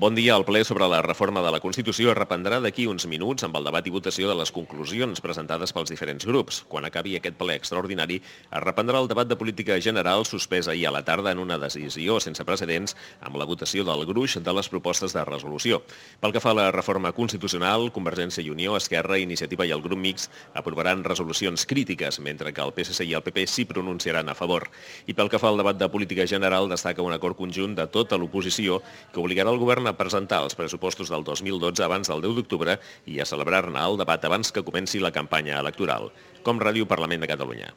Bon dia. El ple sobre la reforma de la Constitució es reprendrà d'aquí uns minuts amb el debat i votació de les conclusions presentades pels diferents grups. Quan acabi aquest ple extraordinari, es reprendrà el debat de política general suspès ahir a la tarda en una decisió sense precedents amb la votació del gruix de les propostes de resolució. Pel que fa a la reforma constitucional, Convergència i Unió, Esquerra, Iniciativa i el grup mixt aprovaran resolucions crítiques, mentre que el PSC i el PP s'hi pronunciaran a favor. I pel que fa al debat de política general, destaca un acord conjunt de tota l'oposició que obligarà el govern a presentar els pressupostos del 2012 abans del 10 d'octubre i a celebrar-ne el debat abans que comenci la campanya electoral. Com Ràdio Parlament de Catalunya.